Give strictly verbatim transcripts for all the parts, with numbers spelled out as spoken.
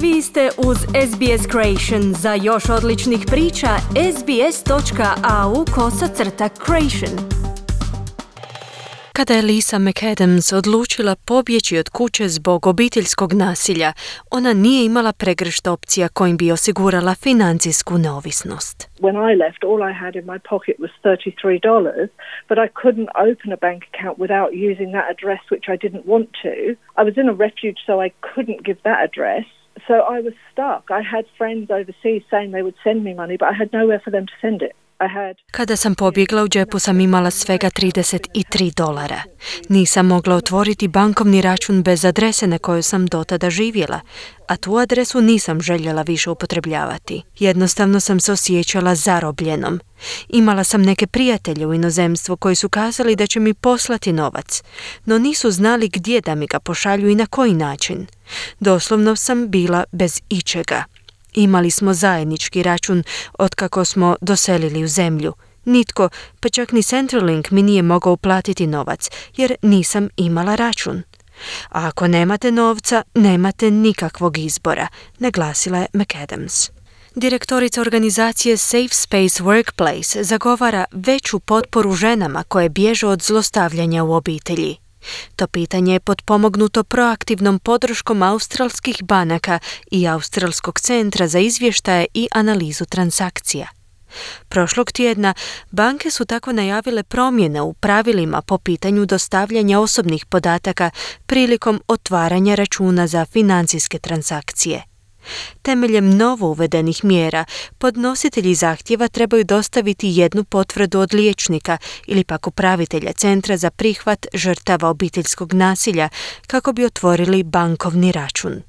Vi ste uz S B S Creation. Za još odličnih priča, sbs.au kosacrta creation. Kada je Lisa McAdams odlučila pobjeći od kuće zbog obiteljskog nasilja, ona nije imala pregršt opcija kojim bi osigurala financijsku neovisnost. When I left, all I had in my pocket was thirty-three dollars, but I couldn't open a bank account without using that address, which I didn't want to. I was in a refuge, so I couldn't give that address. So I was stuck. I had friends overseas saying they would send me money, but I had nowhere for them to send it. Kada sam pobjegla, u džepu sam imala svega trideset tri dolara. Nisam mogla otvoriti bankovni račun bez adrese na kojoj sam dotada živjela, a tu adresu nisam željela više upotrebljavati. Jednostavno sam se osjećala zarobljenom. Imala sam neke prijatelje u inozemstvu koji su kazali da će mi poslati novac, no nisu znali gdje da mi ga pošalju i na koji način. Doslovno sam bila bez ičega. Imali smo zajednički račun otkako smo doselili u zemlju. Nitko, pa čak ni Centrelink mi nije mogao uplatiti novac, jer nisam imala račun. A ako nemate novca, nemate nikakvog izbora, naglasila je McAdams. Direktorica organizacije Safe Space Workplace zagovara veću potporu ženama koje bježe od zlostavljanja u obitelji. To pitanje je potpomognuto proaktivnom podrškom australskih banaka i Australskog centra za izvještaje i analizu transakcija. Prošlog tjedna banke su tako najavile promjene u pravilima po pitanju dostavljanja osobnih podataka prilikom otvaranja računa za financijske transakcije. Temeljem novo uvedenih mjera, podnositelji zahtjeva trebaju dostaviti jednu potvrdu od liječnika ili pak upravitelja Centra za prihvat žrtava obiteljskog nasilja kako bi otvorili bankovni račun.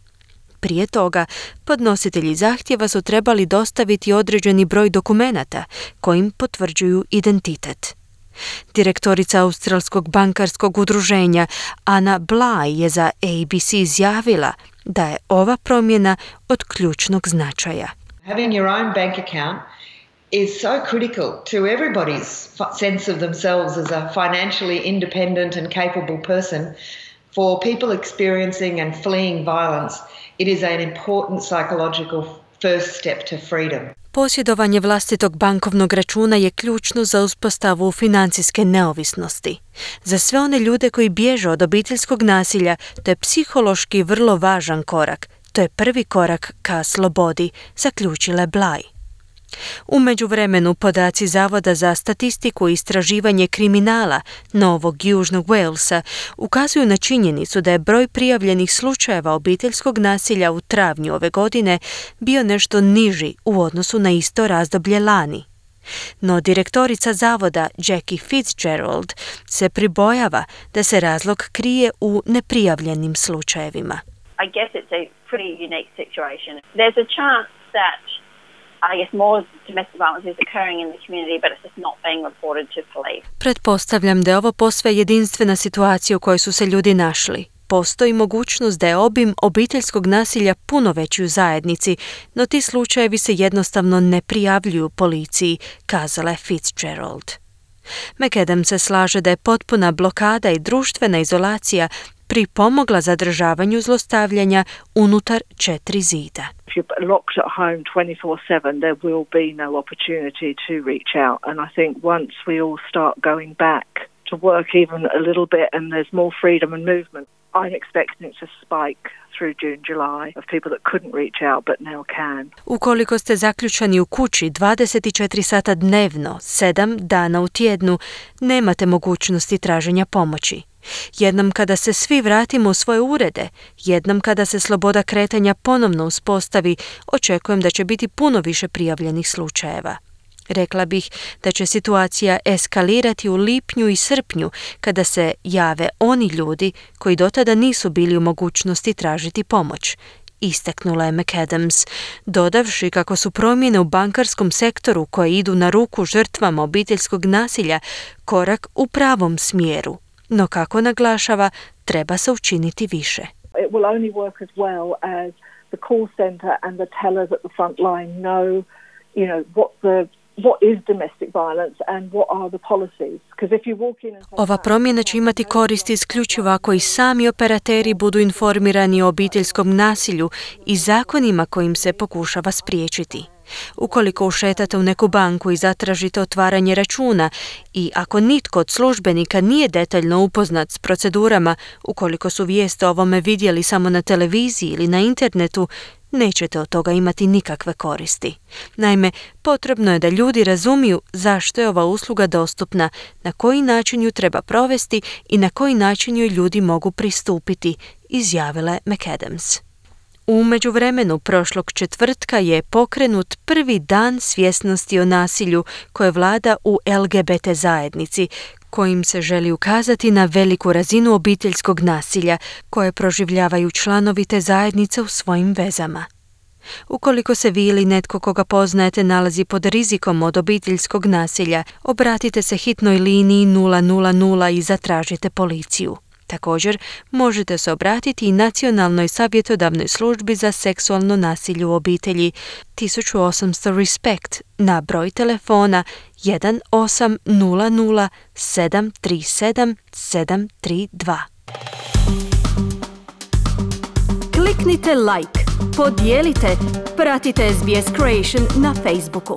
Prije toga, podnositelji zahtjeva su trebali dostaviti određeni broj dokumenata kojim potvrđuju identitet. Direktorica Australskog bankarskog udruženja Anna Bly je za A B C izjavila da je ova promjena od ključnog značaja. Having your own bank account is so critical to everybody's sense of themselves as a financially independent and capable person. For people experiencing and fleeing violence, it is an important psychological first step to freedom. Posjedovanje vlastitog bankovnog računa je ključno za uspostavu financijske neovisnosti. Za sve one ljude koji bježe od obiteljskog nasilja, to je psihološki vrlo važan korak. To je prvi korak ka slobodi, zaključila je Bly. U međuvremenu podaci Zavoda za statistiku i istraživanje kriminala Novog Južnog Walesa ukazuju na činjenicu da je broj prijavljenih slučajeva obiteljskog nasilja u travnju ove godine bio nešto niži u odnosu na isto razdoblje lani. No direktorica zavoda Jackie Fitzgerald se pribojava da se razlog krije u neprijavljenim slučajevima. I guess it's a pretty unique situation. There's a chance that I guess more domestic violence is occurring in the community, but it's just not being reported to police. Pretpostavljam da je ovo posve jedinstvena situacija u kojoj su se ljudi našli. Postoji mogućnost da je obim obiteljskog nasilja puno veći u zajednici, no ti slučajevi se jednostavno ne prijavljuju policiji, kazala je Fitzgerald. McAdams se slaže da je potpuna blokada i društvena izolacija pripomogla zadržavanju zlostavljanja unutar četiri zida. If you're locked at home twenty-four seven, there will be no opportunity to reach out. And I think once we all start going back to work even a little bit and there's more freedom and movement, I'm expecting it to spike through June, July of people that couldn't reach out but now can. Ukoliko ste zaključani u kući dvadeset četiri sata dnevno, sedam dana u tjednu, nemate mogućnosti traženja pomoći. Jednom kada se svi vratimo u svoje urede, jednom kada se sloboda kretanja ponovno uspostavi, očekujem da će biti puno više prijavljenih slučajeva. Rekla bih da će situacija eskalirati u lipnju i srpnju kada se jave oni ljudi koji dotada nisu bili u mogućnosti tražiti pomoć, istaknula je McAdams, dodavši kako su promjene u bankarskom sektoru koje idu na ruku žrtvama obiteljskog nasilja korak u pravom smjeru. No kako naglašava, treba se učiniti više. It will only work as well as the call center and the tellers at the front line know, you know, what the what is domestic violence and what are the policies. Because if you walk in and say, Ova promjena će imati koristi isključivo ako i sami operateri budu informirani o obiteljskom nasilju i zakonima kojim se pokušava spriječiti. Ukoliko ušetate u neku banku i zatražite otvaranje računa i ako nitko od službenika nije detaljno upoznat s procedurama, ukoliko su vijesti o ovome vidjeli samo na televiziji ili na internetu, nećete od toga imati nikakve koristi. Naime, potrebno je da ljudi razumiju zašto je ova usluga dostupna, na koji način ju treba provesti i na koji način joj ljudi mogu pristupiti, izjavila je McAdams. U međuvremenu prošlog četvrtka je pokrenut prvi dan svjesnosti o nasilju koje vlada u L G B T zajednici, kojim se želi ukazati na veliku razinu obiteljskog nasilja koje proživljavaju članovi te zajednice u svojim vezama. Ukoliko se vi ili netko koga poznajete nalazi pod rizikom od obiteljskog nasilja, obratite se hitnoj liniji nula nula nula i zatražite policiju. Također, možete se obratiti i Nacionalnoj savjetodavnoj službi za seksualno nasilje u obitelji tisuću osamsto Respect na broj telefona jedan osam nula nula sedam tri sedam sedam tri dva. Kliknite like, podijelite, pratite S B S Creation na Facebooku.